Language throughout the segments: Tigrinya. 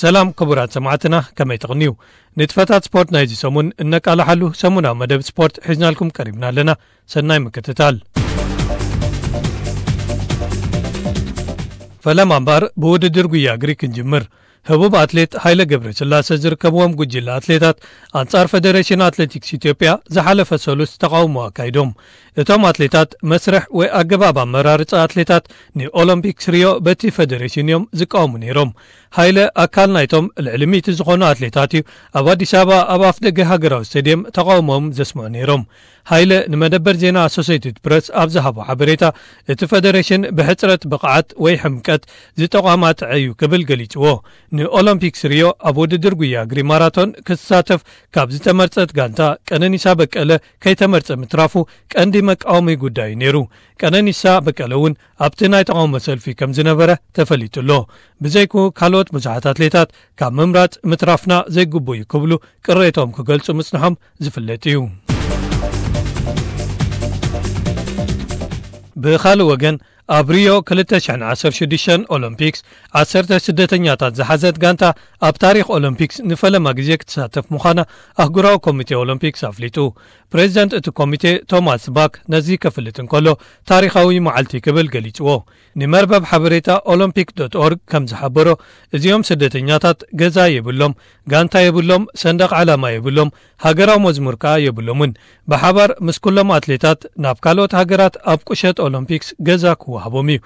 ሰላም ክቡራት ሰማዕትና፣ ከመይ ትቕንዩ? ንጥፈታት ስፖርት ናይዚ ሰሙን እነቃልሓሉ ሰሙናዊ መደብ ስፖርት ሒዝናልኩም ቀሪብና ኣለና። ሰናይ ምክትታል። ፈለማ እምበኣር ብውድድር ጉያ እግሪ ክንጅምር። ህቡብ ኣትሌት ሃይለ ገብረስላሰ ዝርከብዎም ጉጅለ ኣትሌታት ኣንጻር ፈደሬሽን ኣትሌቲክስ ኢትዮጵያ ዝሓለፈ ሰሉስ ተቓውሞ ኣካይዶም። እቶም ኣትሌታት መስርሕ ወይ ኣገባብ ኣመራርጻ ኣትሌታት ንኦሎምፒክስ ሪዮ በቲ ፈደሬሽን እዮም ዝቃወሙ ነይሮም። ሃይለ ኣካል ናይቶም ልዕሊ ሚእቲ ዝኾኑ ኣትሌታት እዩ ኣብ ኣዲስ ኣበባ ኣብ ኣፍ ደገ ሃገራዊ ስቴድየም ተቓውሞኦም ዘስምዑ ነይሮም። ሃይለ ንመደበር ዜና ኣሶሴይትድ ፕረስ ኣብ ዝሃቦ ሓበሬታ፣ እቲ ፈደሬሽን ብሕጽረት ብቕዓት ወይ ሕምቀት ዝተቋማጥዐ እዩ ክብል ገሊጽዎ። ንኦሎምፒክስ ሪዮ ኣብ ውድድር ጉያ እግሪ ማራቶን ክትሳተፍ ካብ ዝተመርጸት ጋንታ ቀነኒሳ በቀለ ከይተመርጸ ምትራፉ ቀንዲ መቃወሚ ጉዳይ እዩ ነይሩ። ቀነኒሳ በቀለ እውን ኣብቲ ናይ ተቓውሞ ሰልፊ ከም ዝነበረ ተፈሊጡ ኣሎ። ብዘይኩ ካልኦት ብዙሓት ኣትሌታት ካብ ምምራጽ ምትራፍና ዘይግቡ እዩ ክብሉ ቅሬቶም ክገልጹ ምጽንሖም ዝፍለጥ እዩ። ብኻልእ ወገን፣ ኣብ ሪዮ ክልተ ሽሕን ዓሰርተ ሽዱሽተን ኦሎምፒክስ ዓሰርተ ስደተኛታት ዝሓዘት ጋንታ ኣብ ታሪኽ ኦሎምፒክስ ንፈለማ ግዜ ክትሳተፍ ምዃና ኣህጉራዊ ኮሚቴ ኦሎምፒክስ ኣፍሊጡ። ፕሬዚደንት እቲ ኮሚቴ ቶማስ ባክ ነዚ ከፍልጥ እንከሎ ታሪኻዊ መዓልቲ ክብል ገሊጽዎ። ንመርበብ ሓበሬታ ኦሎምፒክ ዶት ኦርግ ከም ዝሓበሮ፣ እዚኦም ስደተኛታት ገዛ የብሎም፣ ጋንታ የብሎም፣ ሰንደቕ ዓላማ የብሎም፣ ሃገራዊ መዝሙር ከኣ የብሎምን። ብሓባር ምስ ኩሎም ኣትሌታት ናብ ካልኦት ሃገራት ኣብ ቁሸት ኦሎምፒክስ ገዛ ክወሃቦም እዩ።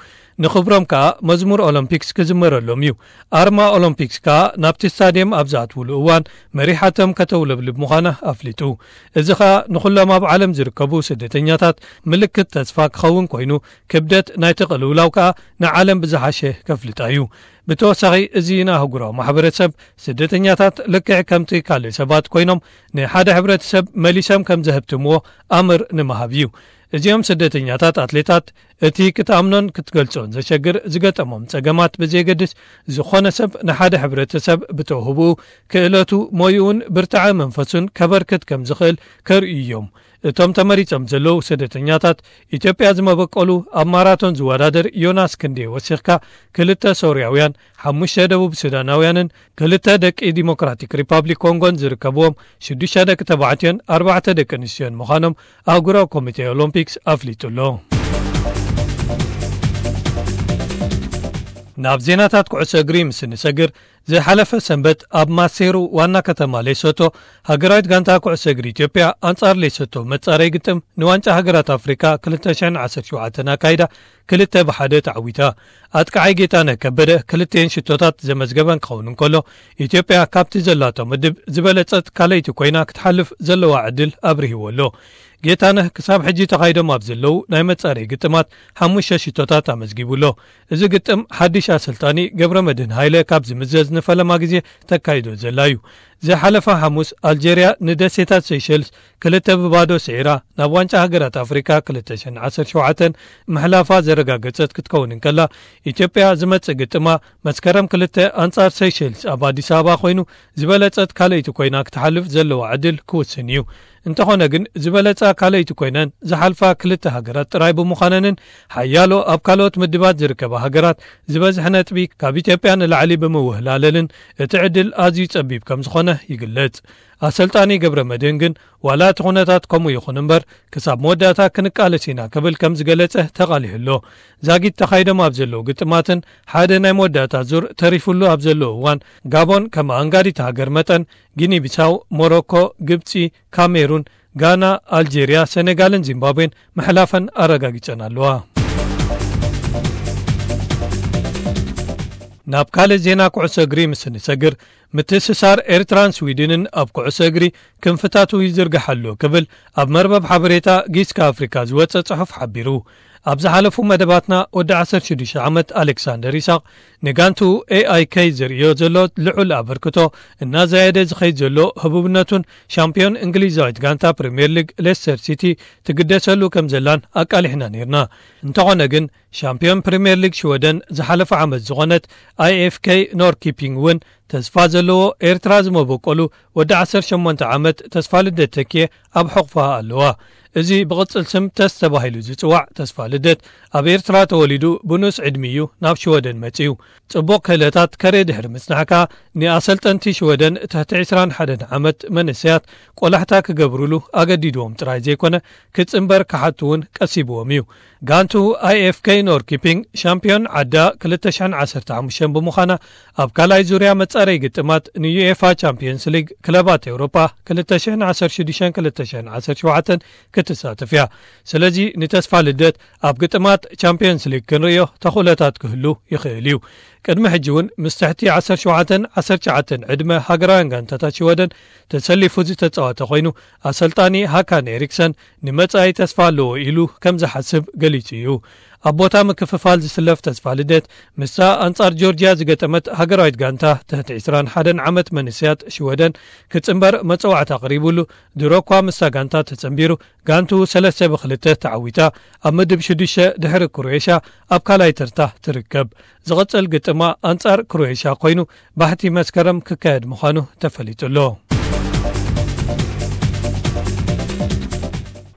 ንኽብሮም ከኣ መዝሙር ኦሎምፒክስ ክዝመረሎም እዩ። ኣርማ ኦሎምፒክስ ከኣ ናብቲ ስታድየም ኣብ ዝኣትውሉ እዋን መሪሓቶም ከተውለብልብ ምዃና ኣፍሊጡ። እዚ ኸኣ ንኹሎም ኣብ ዓለም ዝርከቡ ስደተኛታት ምልክት ተስፋ ክኸውን ኮይኑ፣ ክብደት ናይቲ ቅልውላው ከኣ ንዓለም ብዝሓሸ ከፍልጣ እዩ። ብተወሳኺ፣ እዚ ንኣህጉራዊ ማሕበረሰብ ስደተኛታት ልክዕ ከምቲ ካልእ ሰባት ኮይኖም ንሓደ ሕብረተሰብ መሊሶም ከም ዘህብትምዎ ኣምር ንምሃብ እዩ። እዚኦም ስደተኛታት ኣትሌታት እቲ ክትኣምኖን ክትገልጾን ዘሸግር ዝገጠሞም ጸገማት ብዘየገድስ፣ ዝኾነ ሰብ ንሓደ ሕብረተሰብ ብተውህብኡ፣ ክእለቱ፣ ሞይኡን ብርታዐ መንፈሱን ከበርክት ከም ዝኽእል ከርእዩ እዮም። እቶም ተመሪጾም ዘለዉ ስደተኛታት፣ ኢትዮጵያ ዝመበቆሉ ኣብ ማራቶን ዝወዳደር ዮናስ ክንዴ ወሲኽካ፣ ክልተ ሶርያውያን፣ ሓሙሽተ ደቡብ ሱዳናውያንን ክልተ ደቂ ዲሞክራቲክ ሪፓብሊክ ኮንጎን ዝርከብዎም ሽዱሽተ ደቂ ተባዕትዮን ኣርባዕተ ደቂ ኣንስትዮን ምዃኖም ኣህጉራዊ ኮሚቴ ኦሎምፒክስ ኣፍሊጡ ኣሎ። ናብ ዜናታት ኩዕሶ እግሪ ምስ እንሰግር፣ ዝሓለፈ ሰንበት ኣብ ማሴሩ ዋና ከተማ ሌሶቶ፣ ሃገራዊት ጋንታ ኩዕሶ እግሪ ኢትዮጵያ ኣንጻር ሌሶቶ መጻረይ ግጥም ንዋንጫ ሃገራት ኣፍሪካ ክልተ ሽሕን ዓሰርተ ሸውዓተን ኣካይዳ ክልተ ብሓደ ተዓዊታ። ኣጥቃዓይ ጌታነህ ከበደ ክልቲኤን ሽቶታት ዘመዝገበን ክኸውን እንከሎ፣ ኢትዮጵያ ካብቲ ዘላቶ ምድብ ዝበለጸት ካልኣይቲ ኮይና ክትሓልፍ ዘለዋ ዕድል ኣብርሂዎ ኣሎ። ጌታነህ ክሳብ ሕጂ ተኻይዶም ኣብ ዘለዉ ናይ መጻረይ ግጥማት ሓሙሽተ ሽቶታት ኣመዝጊቡ ኣሎ። እዚ ግጥም ሓድሽ ኣሰልጣኒ ገብረመድህን ሃይለ ካብ ዝምዘዝ ንፈለማ ግዜ ተካይዶ ዘላ እዩ። ዝሓለፈ ሓሙስ ኣልጀርያ ንደሴታት ሴሸልስ ክልተ ብባዶ ስዒራ ናብ ዋንጫ ሃገራት ኣፍሪካ ክልተ ሽሕን ዓሰርተ ሸውዓተን ምሕላፋ ዘረጋገጸት ክትከውን እንከላ፣ ኢትዮጵያ ዝመጽእ ግጥማ መስከረም ክልተ ኣንጻር ሴሸልስ ኣብ ኣዲስ ኣበባ ኮይኑ፣ ዝበለጸት ካልኣይቲ ኮይና ክትሓልፍ ዘለዋ ዕድል ክውስን እዩ። እንተኾነ ግን፣ ዝበለጻ ካልኣይቲ ኮይነን ዝሓልፋ ክልተ ሃገራት ጥራይ ብምዃነንን ሓያሎ ኣብ ካልኦት ምድባት ዝርከባ ሃገራት ዝበዝሐ ነጥቢ ካብ ኢትዮጵያ ንላዕሊ ብምውህላለልን እቲ ዕድል ኣዝዩ ጸቢብ ከም ዝኾነ ይግለጽ። ኣሰልጣኒ ገብረ መድህን ግን፣ ዋላ እቲ ኩነታት ከምኡ ይኹን እምበር፣ ክሳብ መወዳእታ ክንቃለስ ኢና ክብል ከም ዝገለጸ ተቓሊሑ ኣሎ። ዛጊት ተኻይዶም ኣብ ዘለዉ ግጥማትን ሓደ ናይ መወዳእታ ዙር ተሪፉሉ ኣብ ዘለዉ እዋን፣ ጋቦን ከም ኣንጋዲት ሃገር መጠን፣ ጊኒ ቢሳው፣ ሞሮኮ፣ ግብጺ፣ ካሜሩን፣ ጋና፣ ኣልጄርያ፣ ሰኔጋልን ዚምባብዌን ምሕላፈን ኣረጋጊጸን ኣለዋ። ናብ ካልእ ዜና ኩዕሶ እግሪ ምስ እንሰግር፣ ምትእስሳር ኤርትራን ስዊድንን ኣብ ኩዕሶ እግሪ ክንፍታቱ ይዝርጋሕ ኣሎ ክብል ኣብ መርበብ ሓበሬታ ጊስካ ኣፍሪካ ዝወጸ ጽሑፍ ሓቢሩ። ኣብ ዝሓለፉ መደባትና፣ ወዲ ዓሰርተ ሽዱሽተ ዓመት ኣሌክሳንደር ይስሐቅ ንጋንትኡ ኤ ኣይ ኬ ዘርእዮ ዘሎ ልዑል ኣበርክቶ እናዘየደ ዝኸይድ ዘሎ ህቡብነቱን ሻምፒዮን እንግሊዛዊት ጋንታ ፕሪምየር ሊግ ሌስተር ሲቲ ትግደሰሉ ከም ዘላን ኣቃሊሕና ነይርና። እንተኾነ ግን፣ ሻምፒዮን ፕሪምየር ሊግ ሽወደን ዝሓለፈ ዓመት ዝኾነት ኣይ ኤፍ ኬ ኖርኪፒንግ እውን ተስፋ ዘለዎ ኤርትራ ዝመበቆሉ ወዲ ዓሰርተ ሸሞንተ ዓመት ተስፋ ልደት ተኪኤ ኣብ ሕቑፋ ኣለዋ። እዚ ብቕጽል ስም ተስ ተባሂሉ ዝጽዋዕ ተስፋ ልደት ኣብ ኤርትራ ተወሊዱ ብንኡስ ዕድሚኡ ናብ ሽወደን መጺኡ። ጽቡቕ ክእለታት ከርኢ ድሕሪ ምጽናሕ ከኣ ንኣሰልጠንቲ ሽወደን ትሕቲ ዕስራን ሓደን ዓመት መንእሰያት ቆላሕታ ክገብሩሉ ኣገዲድዎም ጥራይ ዘይኮነ ክጽንበር ክሓቱ እውን ቀሲብዎም እዩ። ጋንቱ ኣይ ኤፍ ኬ ኖርኪፒንግ ሻምፒዮን ዓዳ ክልተ ሽሕን ዓሰርተ ሓሙሽተን ብምዃና ኣብ ካልኣይ ዙርያ መጻረይ ግጥማት ንዩኤፋ ቻምፒዮንስ ሊግ ክለባት ኤውሮጳ ክልተ ሽሕን ዓሰርተ ሽዱሽተን ክልተ ሽሕን ዓሰርተ ሸውዓተን ክትሳተፍ እያ። ስለዚ ንተስፋ ልደት ኣብ ግጥማት ቻምፒዮንስ ሊግ ክንርእዮ ተኽእሎታት ክህሉ ይኽእል እዩ። ቅድሚ ሕጂ እውን ምስ ትሕቲ ዓሰርተ ሸውዓተን ዓሰርተ ትሽዓተን ዕድመ ሃገራውያን ጋንታታት ሽወደን ተሰሊፉ ዝተጻወተ ኮይኑ፣ ኣሰልጣኒ ሃካን ኤሪክሰን ንመጻኢ ተስፋ ኣለዎ ኢሉ ከም ዝሓስብ ገሊጹ እዩ። ኣብ ቦታ ምክፍፋል ዝስለፍ ተስፋ ልደት ምስታ ኣንጻር ጆርጅያ ዝገጠመት ሃገራዊት ጋንታ ትሕቲ ዕስራን ሓደን ዓመት መንእሰያት ሽወደን ክጽንበር መጸዋዕታ ቀሪቡሉ፣ ድሮ እኳ ምስታ ጋንታ ተጸንቢሩ ጋንቱ ሰለስተ ብክልተ ተዓዊታ ኣብ ምድብ ሽዱሽተ ድሕሪ ክሮኤሽያ ኣብ ካልኣይ ተርታ ትርከብ። ዝቕጽል ግጥማ ኣንጻር ክሮኤሽያ ኮይኑ ባሕቲ መስከረም ክካየድ ምዃኑ ተፈሊጡ ኣሎ።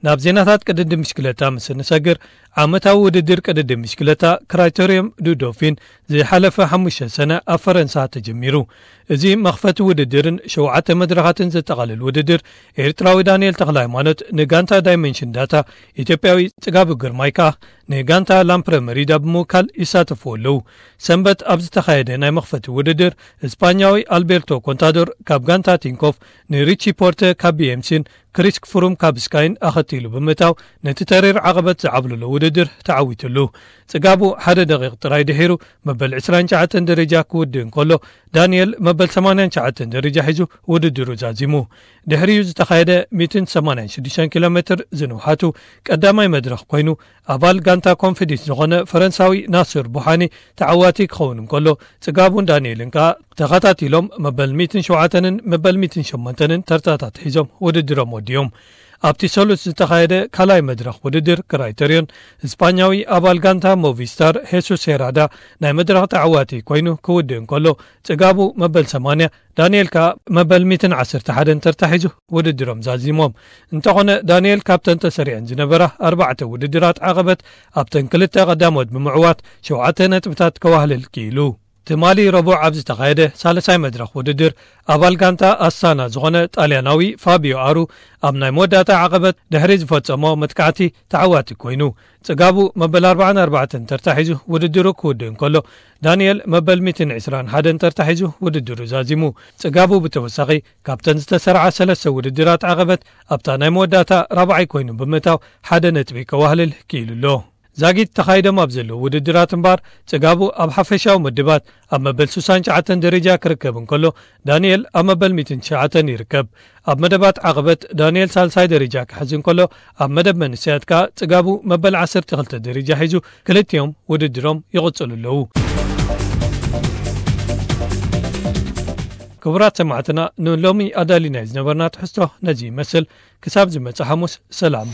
ናብ ዜናታት ቅድድም ብሽክለታ ምስ እንሰግር፣ ዓመታዊ ውድድር ቅድድም ብሽክለታ ክራይተሪየም ዱ ዶፊን ዝሓለፈ ሓሙሽተ ሰነ ኣብ ፈረንሳ ተጀሚሩ። እዚ መኽፈቲ ውድድርን ሸውዓተ መድረኻትን ዘጠቓልል ውድድር፣ ኤርትራዊ ዳንኤል ተኽለ ሃይማኖት ንጋንታ ዳይመንሽን ዳታ፣ ኢትዮጵያዊ ጽጋቡ ግርማይ ከኣ ንጋንታ ላምፕረ መሪዳ ብምውካል ይሳተፉ ኣለዉ። ሰንበት ኣብ ዝተኻየደ ናይ መኽፈቲ ውድድር፣ እስፓኛዊ ኣልቤርቶ ኮንታዶር ካብ ጋንታ ቲንኮፍ ንሪቺ ፖርተ ካብ ቢ ኤም ሲን ክሪስ ፍሩም ካብ ስካይን ኣኸቲሉ ብምእታው ነቲ ተሪር ዓቐበት ዝዓብለሎ ውድድር ተዓዊትሉ። ጽጋቡ ሓደ ደቂቕ ጥራይ ድሒሩ መበል ዕስራን ትሽዓተን ደረጃ ክውድእ እንከሎ፣ ዳንኤል መበል ሰማንያን ትሽዓተን ደረጃ ሒዙ ውድድሩ ዛዚሙ። ድሕሪኡ ዝተኻየደ ሚእትን ሰማንያን ሽዱሽተን ኪሎ ሜትር ዝንውሓቱ ቀዳማይ መድረኽ ኮይኑ፣ ኣባል ጋንታ ኮንፊደንስ ዝኾነ ፈረንሳዊ ናስር ቡሓኒ ተዓዋቲ ክኸውን እንከሎ፣ ጽጋቡን ዳንኤልን ከኣ ተኸታቲሎም መበል ሚእትን ሸውዓተንን መበል ሚእትን ሸሞንተንን ተርታታት ሒዞም ውድድሮም ወዲዮም። ኣብቲ ሰሉስ ዝተኻየደ ካልኣይ መድረኽ ውድድር ክራይተርዮን፣ እስፓኛዊ ኣባል ጋንታ ሞቪስታር ሄሱስ ሄራዳ ናይ መድረኽ ተዓዋቲ ኮይኑ ክውድእ እንከሎ፣ ጽጋቡ መበል ሰማንያ፣ ዳንኤል ከኣ መበል ሚእትን ዓሰርተ ሓደን ተርታ ሒዙ ውድድሮም ዛዚሞም። እንተኾነ፣ ዳንኤል ካብተን ተሰሪዐን ዝነበራ ኣርባዕተ ውድድራት ዓቐበት ኣብተን ክልተ ቀዳሞት ብምዕዋት ሸውዓተ ነጥብታት ከዋህልል ክኢሉ። ትማሊ ረቡዕ ኣብ ዝተኻየደ ሳልሳይ መድረኽ ውድድር፣ ኣባል ጋንታ ኣስታና ዝኾነ ጣልያናዊ ፋቢዮ ኣሩ ኣብ ናይ መወዳእታ ዓቐበት ድሕሪ ዝፈጸሞ መጥቃዕቲ ተዓዋቲ ኮይኑ፣ ጽጋቡ መበል ኣርባዓን ኣርባዕተን ተርታ ሒዙ ውድድሩ ክውድእ እንከሎ፣ ዳንኤል መበል ሚእትን ዕስራን ሓደን ተርታ ሒዙ ውድድሩ ዛዚሙ። ጽጋቡ ብተወሳኺ ካብተን ዝተሰርዓ ሰለስተ ውድድራት ዓቐበት ኣብታ ናይ መወዳእታ ራብዓይ ኮይኑ ብምእታው ሓደ ነጥቢ ከዋህልል ክኢሉ ኣሎ። ዛጊት ተኻይዶም ኣብ ዘለዉ ውድድራት እምበኣር፣ ጽጋቡ ኣብ ሓፈሻዊ ምድባት ኣብ መበል ስሳን ትሽዓተን ደረጃ ክርከብ እንከሎ፣ ዳንኤል ኣብ መበል ሚእትን ትሽዓተን ይርከብ። ኣብ መደባት ዓቐበት ዳንኤል ሳልሳይ ደረጃ ክሕዝ እንከሎ፣ ኣብ መደብ መንእሰያት ከኣ ጽጋቡ መበል ዓሰርተ ክልተ ደረጃ ሒዙ፣ ክልቲኦም ውድድሮም ይቕጽሉ ኣለዉ። ክቡራት ሰማዕትና፣ ንሎሚ ኣዳሊናይ ዝነበርና ትሕዝቶ ነዚ ይመስል። ክሳብ ዝመጽእ ሓሙስ፣ ሰላም።